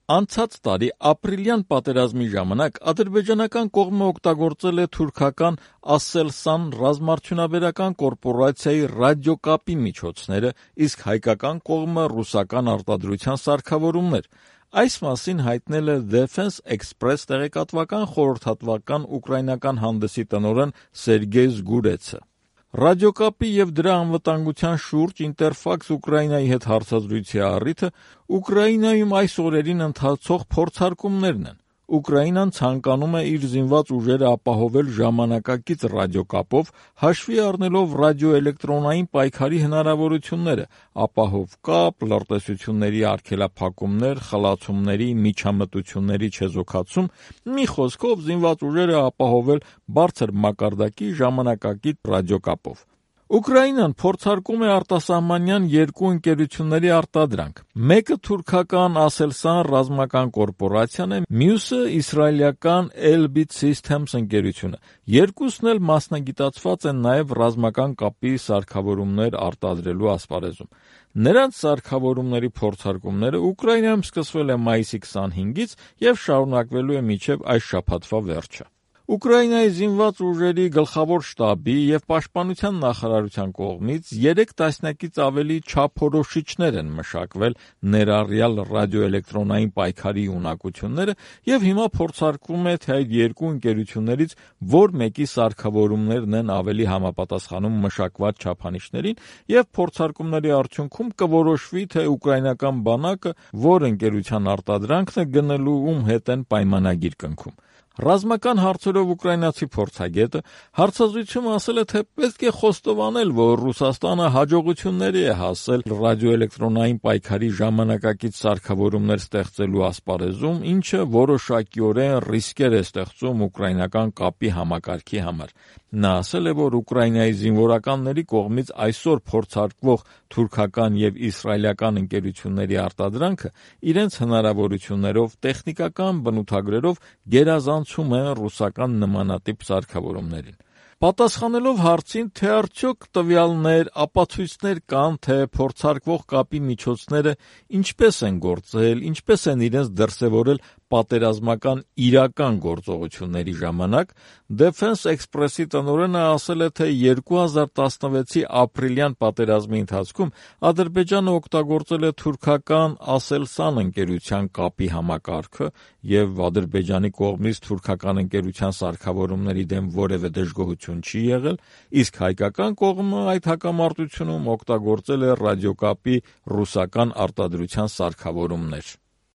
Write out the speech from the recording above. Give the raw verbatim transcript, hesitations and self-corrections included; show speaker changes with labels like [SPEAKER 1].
[SPEAKER 1] Անցած տարի ապրիլյան պատերազմի ժամանակ ադրբեջանական կողմը օգտագործել է թուրքական «Ասելսան» ռազմարդյունաբերական կորպորացիայի ռադիոկապի միջոցները, իսկ հայկական կողմը ռուսական արտադրության սարքավորումներ։ Այս մասին հայտնել է Defense Express տեղեկատվական խորհրդատվական ուկրաինական հանդեսի տնօրեն Սերգեյ Զգուրեցը։ Ռադիոկապի և դրա անվտանգության շուրջ Ինտերֆաքս Ուկրաինայի հետ հարցազրույցի առիթը Ուկրաինայում այս օրերին ընթացող փորձարկումներն են։ Ուկրաինան ցանկանում է իր զինված ուժերը ապահովել ժամանակակից ռադիոկապով, հաշվի առնելով ռադիոէլեկտրոնային պայքարի հնարավորությունները, ապահով կապ, լրտեսությունների արգելափակումներ, խլացումների, միջամտությունների չեզոքացում, մի խոսքով զինված ուժերը ապահովել բարձր մակարդակի ժամանակակից ռադիոկապով։ Ուկրաինան փորձարկում է արտասահմանյան երկու ընկերությունների արտադրանք։ Մեկը թուրքական «Ասելսան» ռազմական կորպորացիան է, մյուսը իսրայելական Elbit Systems ընկերությունը։ Երկուսն էլ մասնագիտացված են նաև ռազմական կապի սարքավորումներ արտադրելու ասպարեզում։ Նրանց սարքավորումների փորձարկումները Ուկրաինայում սկսվել է մայիսի քսանհինգից և շարունակվելու է մինչև այս շաբաթվա վերջը։ Ուկրաինայի զինված ուժերի գլխավոր շտաբի և պաշտպանության նախարարության կողմից երեք տասնյակից ավելի չափորոշիչներ են մշակվել, ներառյալ ռադիոէլեկտրոնային պայքարի ունակությունները, և հիմա փորձարկվում է, թե այդ երկու ընկերություններից որ մեկի սարքավորումներն են ավելի համապատասխանում մշակված չափանիշներին, և փորձարկումների արդյունքում կորոշվի, թե ուկրաինական բանակը որ ընկերության արտադրանքն է գնելու, ում հետ են պայմանագիր կնքում։ Ռազմական հարցերով ուկրաինացի փորձագետը հարցազրույցում ասել է, թե պետք է խոստովանել, որ Ռուսաստանը հաջողությունների է հասել ռադիոէլեկտրոնային պայքարի ժամանակակից սարքավորումներ ստեղծելու ասպարեզում, ինչը որոշակիորեն ռիսկեր է ստեղծում ուկրաինական կապի համակարգի համար։ Նա ասել է, որ Ուկրաինայի զինվորականների կողմից այսօր փորձարկվող թուրքական և իսրայելական ընկերությունների արտադրանքը իրենց հնարավորություններով, տեխնիկական բնութագրերով գերազանցում է ռուսական նմանատիպ սարքավորումներին։ Պատասխանելով հարցին, թե արդյոք տվյալներ, ապացույցներ կան, թե փորձարկվող կապի միջոցները ինչպես են գործել, ինչպես են իրենց դրսևորել պատերազմական իրական գործողությունների ժամանակ, Defense Express-ի տնօրենը ասել է, թե երկու հազար տասնվեցի ապրիլյան պատերազմի ընթացքում Ադրբեջանը օգտագործել է թուրքական «Ասելսան» ընկերության կապի համակարգը և Ադրբեջանի կողմից թուրքական ընկերության սարքավորումների դեմ որևէ դժգոհություն չի եղել, իսկ հայկական կողմը այդ հակամարտությունում օգտագործել է ռադիոկապի ռուսական արտադրության սարքավորումներ։